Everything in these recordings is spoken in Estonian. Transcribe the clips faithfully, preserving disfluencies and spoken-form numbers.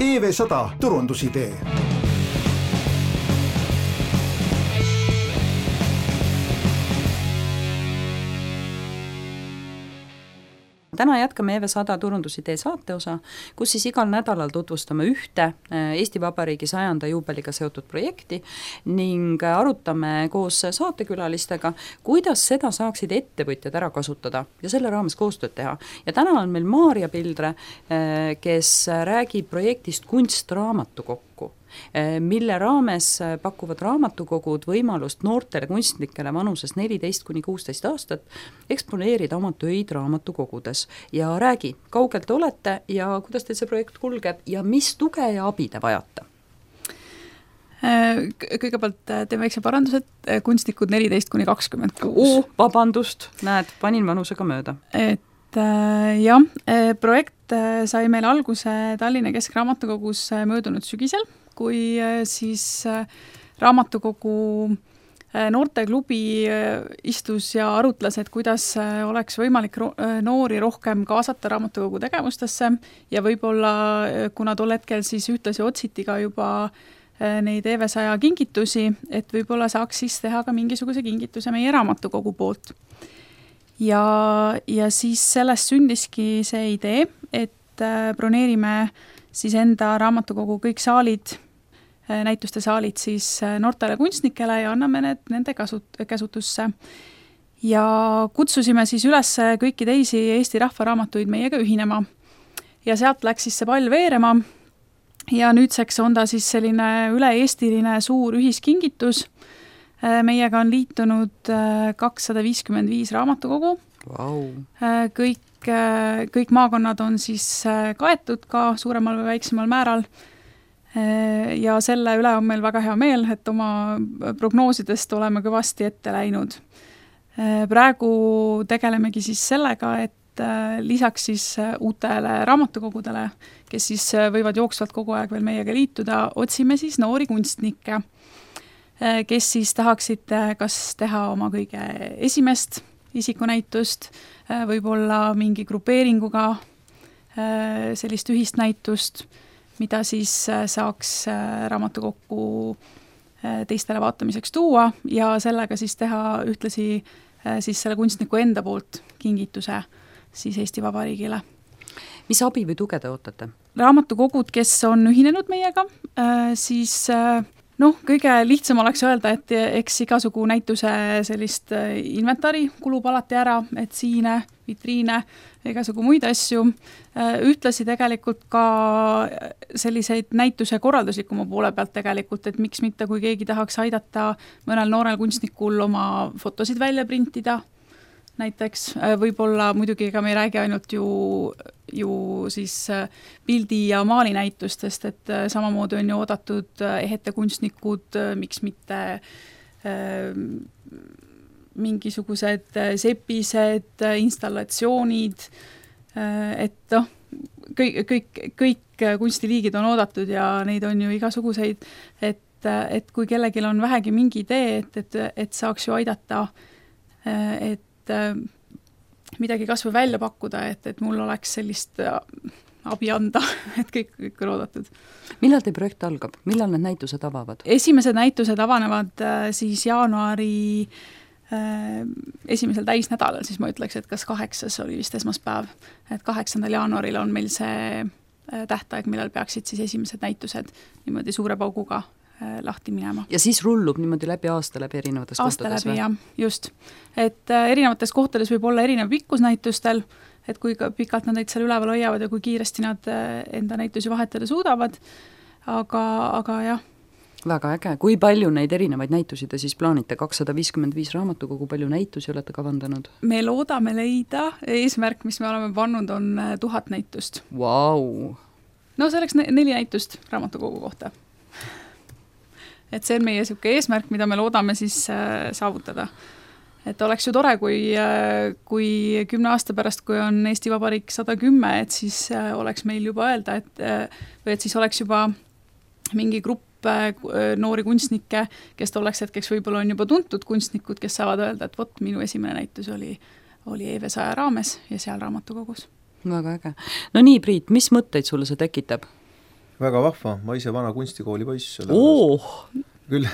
E V sada turundusidee. Täna jätkame E V sada turundusidee saateosa, kus siis igal nädalal tutvustame ühte Eesti Vabariigi sajanda juubeliga seotud projekti ning arutame koos saatekülalistega, kuidas seda saaksid ettevõtjad ära kasutada ja selle raames koostööd teha. Ja täna on meil Maarja Pildre, kes räägib projektist Kunstraamatukokku, mille raames pakuvad raamatukogud võimalust noortele kunstnikele vanuses neliteist kuni kuusteist aastat eksponeerida oma töid raamatukogudes. Ja räägi, kaugelt te olete ja kuidas teil see projekt kulgeb ja mis tuge ja abi te vajate? Kõigepealt teeme väikse parandus, et kunstnikud neliteist kuni kakskümmend kuus. Oo, vabandust, näed, panin vanusega mööda. Et jah, projekt sai meil alguse Tallinna Keskraamatukogus möödunud sügisel, kui siis raamatukogu noorteklubi istus ja arutles, et kuidas oleks võimalik noori rohkem kaasata raamatukogu tegevustesse ja võib-olla, kuna tol hetkel siis ühtlasi otsiti ka juba neid E V sada kingitusi, et võib-olla saaks siis teha ka mingisuguse kingituse meie raamatukogu poolt. Ja, ja siis sellest sündiski see idee, et broneerime siis enda raamatukogu kõik saalid, näituste saalid siis noortele kunstnikele ja anname need nende kasut- käsutusse. Ja kutsusime siis üles kõiki teisi Eesti rahvaraamatuid meiega ühinema. Ja sealt läks siis see pall veerema ja nüüdseks on ta siis selline üle-eestiline suur ühiskingitus. Meiega on liitunud kakssada viiskümmend viis raamatukogu. Wow. Kõik, kõik maakonnad on siis kaetud ka suuremal või väiksemal määral. Ja selle üle on meil väga hea meel, et oma prognoosidest oleme kõvasti ette läinud. Praegu tegelemegi siis sellega, et lisaks siis uutele raamatukogudele, kes siis võivad jooksvalt kogu aeg veel meiega liituda, otsime siis noori kunstnikke, kes siis tahaksid kas teha oma kõige esimest isikunäitust, võib-olla mingi grupeeringuga sellist ühist näitust, mida siis saaks raamatukokku teistele vaatamiseks tuua ja sellega siis teha ühtlasi siis selle kunstniku enda poolt kingituse siis Eesti Vabariigile. Mis abi või tuge te ootate? Raamatukogud, kes on ühinenud meiega, siis noh, kõige lihtsam oleks öelda, et eks igasugu näituse sellist inventari kulub alati ära, et siine, vitriine, igasugu muid asju. Ühtlasi tegelikult ka selliseid näituse korralduslikuma poole pealt tegelikult, et miks mitte, kui keegi tahaks aidata mõnel noorel kunstnikul oma fotosid välja printida, näiteks võib-olla muidugi ega me ei räägi ainult ju, ju siis pildi- ja maalinäitustest, et samamoodi on ju oodatud ehete kunstnikud, miks mitte äh, mingisugused sepised, installatsioonid, et noh, kõik, kõik, kõik kunstiliigid on oodatud ja neid on ju igasuguseid, et, et kui kellelgi on vähegi mingi idee, et, et, et saaks ju aidata, et midagi kas või välja pakkuda, et, et mul oleks sellist abi anda, et kõik, kõik on oodatud. Millal teie projekt algab? Millal need näitused avavad? Esimesed näitused avanevad siis jaanuari esimesel täisnädalal, siis ma ütleks, et kas kaheksas oli vist esmaspäev, et kaheksandal jaanuaril on meil see tähtaeg, millal peaksid siis esimesed näitused niimoodi suure pauguga lahti minema. Ja siis rullub niimoodi läbi aasta läbi erinevates aasta kohtades? Läbi, jah, just. Et erinevates kohtades võib olla erinev pikkusnäitustel, et kui pikalt nad neid seal üleval hoiavad ja kui kiiresti nad enda näitusi vahetada suudavad, aga, aga jah. Väga äge. Kui palju neid erinevaid näitusi te siis plaanite? kakssada viiskümmend viis raamatukogu, palju näitusi olete kavandanud? Me loodame leida. Eesmärk, mis me oleme pannud, on tuhat näitust. Wow. No see oleks neli näitust raamatukogu kohta. Et see on meie siuke eesmärk, mida me loodame siis saavutada. Et oleks ju tore, kui, kui kümne aasta pärast, kui on Eesti Vabariik sada kümme, et siis oleks meil juba öelda, et, või et siis oleks juba mingi grupp noori kunstnikke, kes tolleks hetkeks võib-olla on juba tuntud kunstnikud, kes saavad öelda, et vot, minu esimene näitus oli, oli E V sada raames ja seal raamatukogus. Väga äge. No nii, Priit, mis mõtteid sulle see tekitab? väga vahva, ma ise vana kunstikooli poiss. Oh. Küll.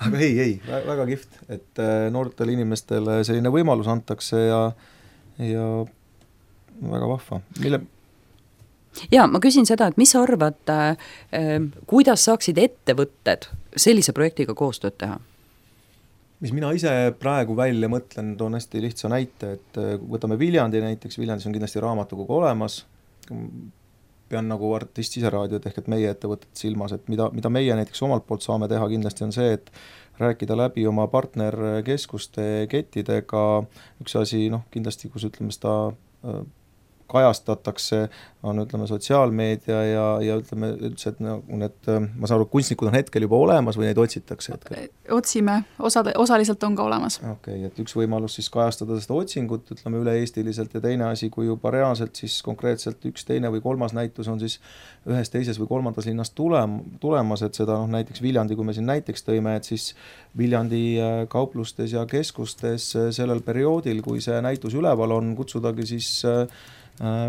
Aga ei, ei, väga kihvt, et noortele inimestele selline võimalus antakse ja, ja väga vahva. Mille... Ja ma küsin seda, et mis sa arvad, äh, kuidas saaksid ettevõtted sellise projektiga koostööd teha? Mis mina ise praegu välja mõtlen, toon hästi lihtsa näite, et võtame Viljandi näiteks, Viljandis on kindlasti raamatukogu olemas, pean nagu artist siseraadiot ehk et meie ettevõtted silmas, et mida, mida meie näiteks omalt poolt saame teha kindlasti on see, et rääkida läbi oma partnerkeskuste kettidega, üks asi, noh, kindlasti, kus ütleme seda kajastatakse, on ütleme sotsiaalmeedia ja, ja ütleme üldse, et need, ma saan aru, kunstnikud on hetkel juba olemas või neid otsitakse hetkel? Otsime, osad, osaliselt on ka olemas. Okei, okay, et üks võimalus siis kajastada seda otsingut, ütleme üle-eestiliselt ja teine asi, kui juba reaalselt siis konkreetselt üks teine või kolmas näitus on siis ühes teises või kolmandas linnas tulem, tulemas, et seda noh, näiteks Viljandi, kui me siin näiteks tõime, et siis Viljandi kauplustes ja keskustes sellel perioodil, kui see näitus üleval on, kutsudagi siis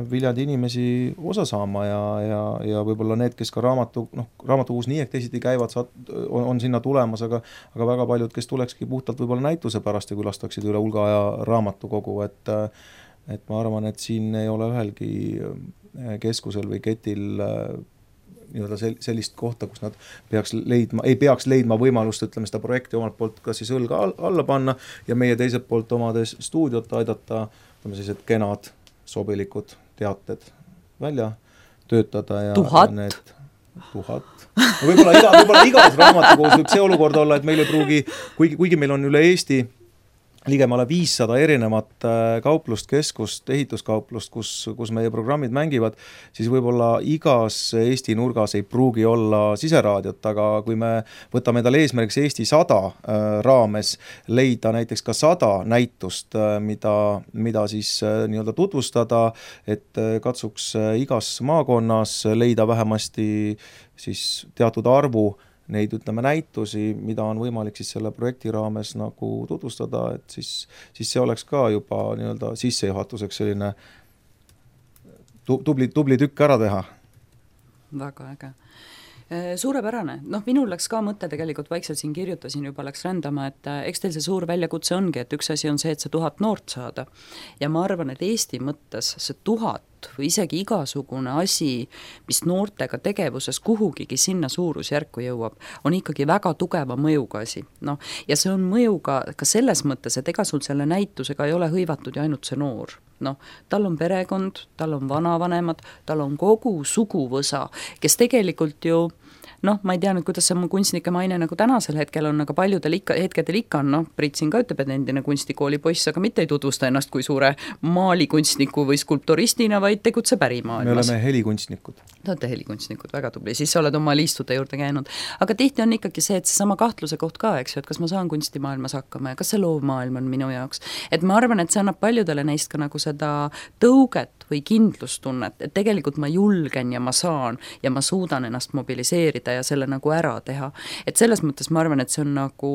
Viljandi inimesi osa saama ja, ja, ja võib-olla need, kes ka raamatu, noh, raamatukogus nii ehk teisiti käivad, saad, on, on sinna tulemas, aga, aga väga paljud, kes tulekski puhtalt võib-olla näituse pärast ja külastaksid üle hulga aja raamatukogu, et, et ma arvan, et siin ei ole ühelgi keskusel või ketil nii-öelda sellist kohta, kus nad peaks leidma, ei peaks leidma võimalust, ütleme seda projekti omalt poolt kas siis õlga alla panna ja meie teiselt poolt omades stuudiot aidata, ütleme siis, et kenad sobilikud teated välja töötada ja tuhat. Need tuhat. No võib-olla, iga, võib-olla igas raamatukogus võib see olukord olla, et meil ei pruugi, kuigi, kuigi meil on üle Eesti ligemale viissada erinevat kauplust, keskust, ehituskauplust, kus, kus meie programmid mängivad, siis võib-olla igas Eesti nurgas ei pruugi olla siseraadiot, aga kui me võtame endale eesmärgiks Eesti sada raames leida näiteks ka sada näitust, mida, mida siis nii-öelda tutvustada, et katsuks igas maakonnas leida vähemasti siis teatud arvu neid, ütleme, näitusi, mida on võimalik siis selle projekti raames nagu tutvustada, et siis, siis see oleks ka juba nii-öelda sissejuhatuseks selline tubli, tubli tükk ära teha. Väga äge. Suurepärane. Noh, minul läks ka mõte tegelikult vaikselt siin kirjutasin, juba läks rändama, et eks teil see suur väljakutse ongi, et üks asi on see, et see tuhat noort saada. Ja ma arvan, et Eesti mõttes see tuhat või isegi igasugune asi, mis noortega tegevuses kuhugigi sinna suurusjärku jõuab, on ikkagi väga tugeva mõjuga asi. No, ja see on mõjuga ka selles mõttes, et ega sul selle näitusega ei ole hõivatud ja ainult see noor. No, tal on perekond, tal on vanavanemad, tal on kogu suguvõsa, kes tegelikult ju noh, ma ei tea nüüd, kuidas see mu kunstnike maine nagu tänasel hetkel on, aga paljudel ikka, hetkedel ikka on, noh, Priit siin ka ütleb, et endine kunstikooli poiss, aga mitte ei tutvusta ennast kui suure maalikunstniku või skulpturistina, vaid tegutseb ärimaailmas. Me oleme helikunstnikud. Te olete helikunstnikud, väga tubli, siis sa oled oma liistude juurde käinud. Aga tihti on ikkagi see, et see sama kahtluse koht ka, eks ju, et kas ma saan kunstimaailmas hakkama ja kas see loovmaailm on minu jaoks. Et ma arvan, et see annab paljudele neist ka nagu seda tõuget või kindlustunnet, et tegelikult ma julgen ja ma saan ja ma suudan ennast mobiliseerida ja selle nagu ära teha. Et selles mõttes ma arvan, et see on nagu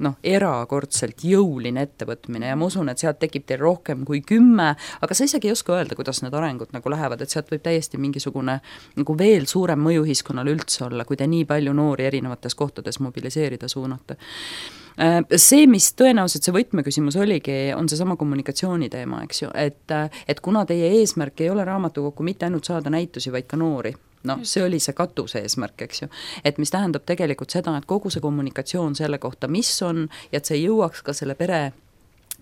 noh, erakordselt jõuline ettevõtmine ja ma usun, et sealt tekib teil rohkem kui kümme, aga sa isegi ei oska öelda, kuidas need arengud nagu lähevad, et sealt võib täiesti mingisugune nagu veel suurem mõju ühiskonnal üldse olla, kui te nii palju noori erinevates kohtades mobiliseerida suunata. See, mis tõenäoliselt see võtmeküsimus oligi, on see sama kommunikatsiooni teema, eks ju, et, et kuna teie eesmärk ei ole raamatukokku mitte ainult saada näitusi, vaid ka noori, no see oli see katuse eesmärk, eks ju, et mis tähendab tegelikult seda, et kogu see kommunikatsioon selle kohta, mis on, ja et see jõuaks ka selle pere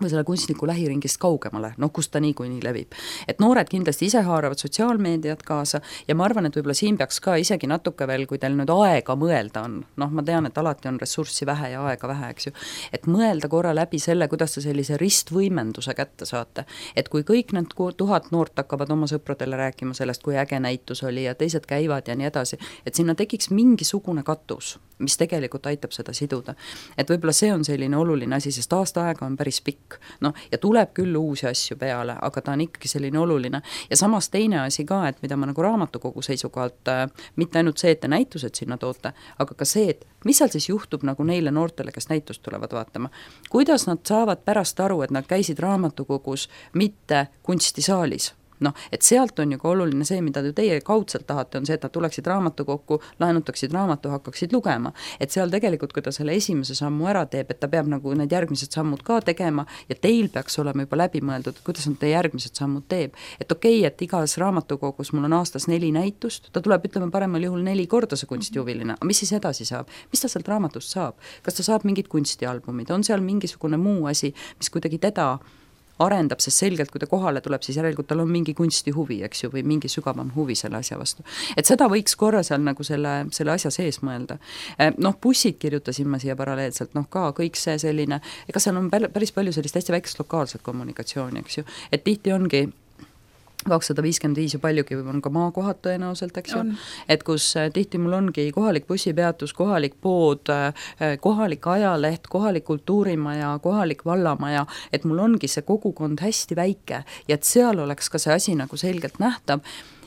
või selle kunstniku lähiringist kaugemale, noh, kus ta nii kui nii levib. Et noored kindlasti ise haaravad sotsiaalmeediat kaasa ja ma arvan, et võib-olla siin peaks ka isegi natuke veel, kui teil nüüd aega mõelda on, noh, ma tean, et alati on ressurssi vähe ja aega vähe, eks ju, et mõelda korra läbi selle, kuidas te sellise ristvõimenduse kätte saate. Et kui kõik need tuhat noort hakkavad oma sõpradele rääkima sellest, kui äge näitus oli ja teised käivad ja nii edasi, et sinna tekiks mingisugune katus, mis tegelikult aitab seda siduda. Et võib-olla see on selline oluline asi, sest aasta aega on päris pikk. No, ja tuleb küll uusi asju peale, aga ta on ikkagi selline oluline. Ja samas teine asi ka, et mida ma nagu raamatukogu seisukohalt, mitte ainult see, et te näitused sinna toote, aga ka see, et mis seal siis juhtub nagu neile noortele, kes näitust tulevad vaatama. Kuidas nad saavad pärast aru, et nad käisid raamatukogus mitte kunstisaalis, noh, et sealt on ju ka oluline see, mida te teie kaudselt tahate, on see, et nad tuleksid raamatukokku, laenutaksid raamatu, hakkaksid lugema. Et seal tegelikult, kui ta selle esimese sammu ära teeb, et ta peab nagu need järgmised sammud ka tegema ja teil peaks olema juba läbi mõeldud, kuidas nad te järgmised sammud teeb. Et okei, et igas raamatukogus mul on aastas neli näitust, ta tuleb, ütleme, paremal juhul neli korda see kunstihuviline, aga mis siis edasi saab? Mis ta sealt raamatust saab? Kas ta saab mingid kunstialbumid? On seal mingisugune muu asi, mis kuidagi teda arendab, sest selgelt, kui ta kohale tuleb, siis järelikult tal on mingi kunstihuvi, eks ju, või mingi sügavam huvi selle asja vastu. Et seda võiks korra seal nagu selle, selle asja sees mõelda. Noh, bussid kirjutasin ma siia paralleelselt, noh ka kõik see selline, ega seal on päris palju sellist hästi väikest lokaalset kommunikatsiooni, eks ju, et tihti ongi kakssada viiskümmend viis ja paljugi on ka maakohad tõenäoliselt, eks ju, et kus tihti mul ongi kohalik bussipeatus, kohalik pood, kohalik ajaleht, kohalik kultuurimaja, kohalik vallamaja, et mul ongi see kogukond hästi väike ja et seal oleks ka see asi nagu selgelt nähtav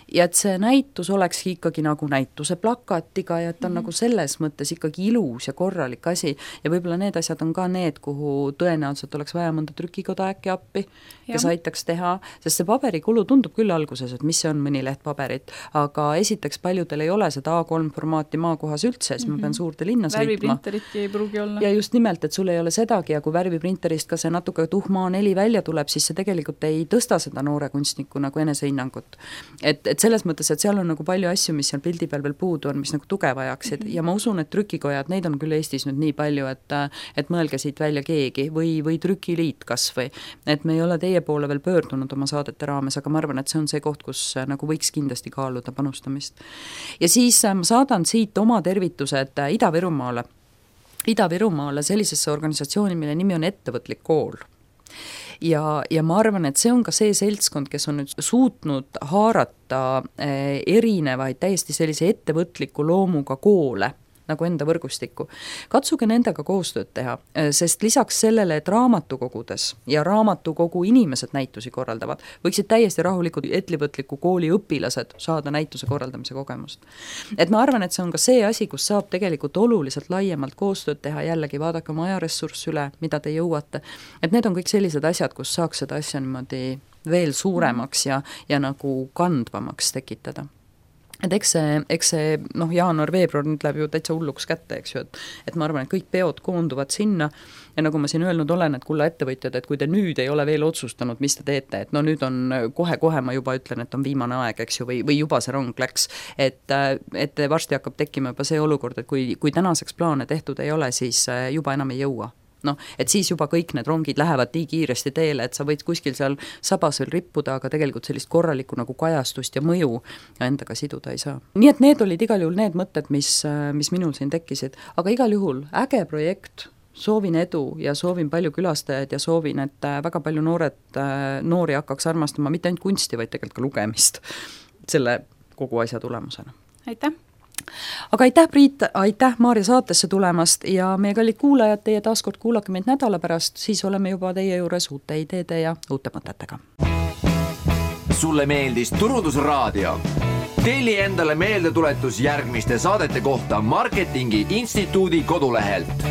ja et see näitus olekski ikkagi nagu näituse plakatiga ja et ta on mm-hmm. nagu selles mõttes ikkagi ilus ja korralik asi ja võib-olla need asjad on ka need, kuhu tõenäoliselt oleks vaja mõnda trükikoda äkki appi, kes aitaks teha, sest see paberikulu tundub küll alguses, et mis see on mõni leht paberit, aga esiteks paljudel ei ole seda A kolm formaati maakohas üldse, siis mm-hmm. ma pean suurde linna sõitma. Värviprinteritki ei pruugi olla. Ja just nimelt, et sul ei ole sedagi ja kui värviprinterist ka see natuke tuhma A neli välja tuleb, siis see tegelikult ei tõsta seda noore kunstniku nagu enesehinnangut. Et, et selles mõttes, et seal on nagu palju asju, mis seal pildi peal veel puudu on, mis nagu tuge vajaksid mm-hmm. ja ma usun, et trükikojad, neid on küll Eestis nüüd nii palju, et, et mõelge siit välja keegi või, või trükiliit kas või, et me ei ole teie poole veel pöördunud oma saadete raames, aga ma arvan, et see on see koht, kus nagu võiks kindlasti kaaluda panustamist. Ja siis ma saadan siit oma tervitused Ida-Virumaale, Ida-Virumaale sellisesse organisatsiooni, mille nimi on Ettevõtlik kool. Ja, ja ma arvan, et see on ka see seltskond, kes on nüüd suutnud haarata erinevaid täiesti sellise ettevõtliku loomuga koole nagu enda võrgustikku. Katsuge nendega koostööd teha, sest lisaks sellele, et raamatukogudes ja raamatukogu inimesed näitusi korraldavad, võiksid täiesti rahulikud ettevõtliku kooli õpilased saada näituse korraldamise kogemust. Et ma arvan, et see on ka see asi, kus saab tegelikult oluliselt laiemalt koostööd teha, jällegi vaadake oma ajaressurss üle, mida te jõuate. Et need on kõik sellised asjad, kus saaks seda asja niimoodi veel suuremaks ja, ja nagu kandvamaks tekitada. Et eks see, eks see noh, jaanuar-veebruar nüüd läheb ju täitsa hulluks kätte, eks ju, et, et ma arvan, et kõik peod koonduvad sinna ja nagu ma siin öelnud olen, et kulla ettevõtjad, et kui te nüüd ei ole veel otsustanud, mis te teete, et no nüüd on kohe-kohe ma juba ütlen, et on viimane aeg, eks ju, või, või juba see rong läks, et, et varsti hakkab tekkima juba see olukord, et kui, kui tänaseks plaane tehtud ei ole, siis juba enam ei jõua. noh, et siis juba kõik need rongid lähevad nii kiiresti teele, et sa võid kuskil seal sabas veel rippuda, aga tegelikult sellist korralikku nagu kajastust ja mõju endaga siduda ei saa. Nii et need olid igal juhul need mõtted, mis, mis minul siin tekkisid, aga igal juhul äge projekt, soovin edu ja soovin palju külastajaid ja soovin, et väga palju noored, noori hakkaks armastama mitte ainult kunsti, vaid tegelikult ka lugemist selle kogu asja tulemusena. Aitäh! Aga aitäh, Priit, aitäh Maarja saatesse tulemast ja meie kallid kuulajad, teie taaskord kuulake meid nädala pärast, siis oleme juba teie juures uute ideede ja uute mõtetega. Sulle meeldis Turundusraadio? Telli endale meeldetuletus järgmiste saadete kohta Marketingi Instituudi kodulehelt.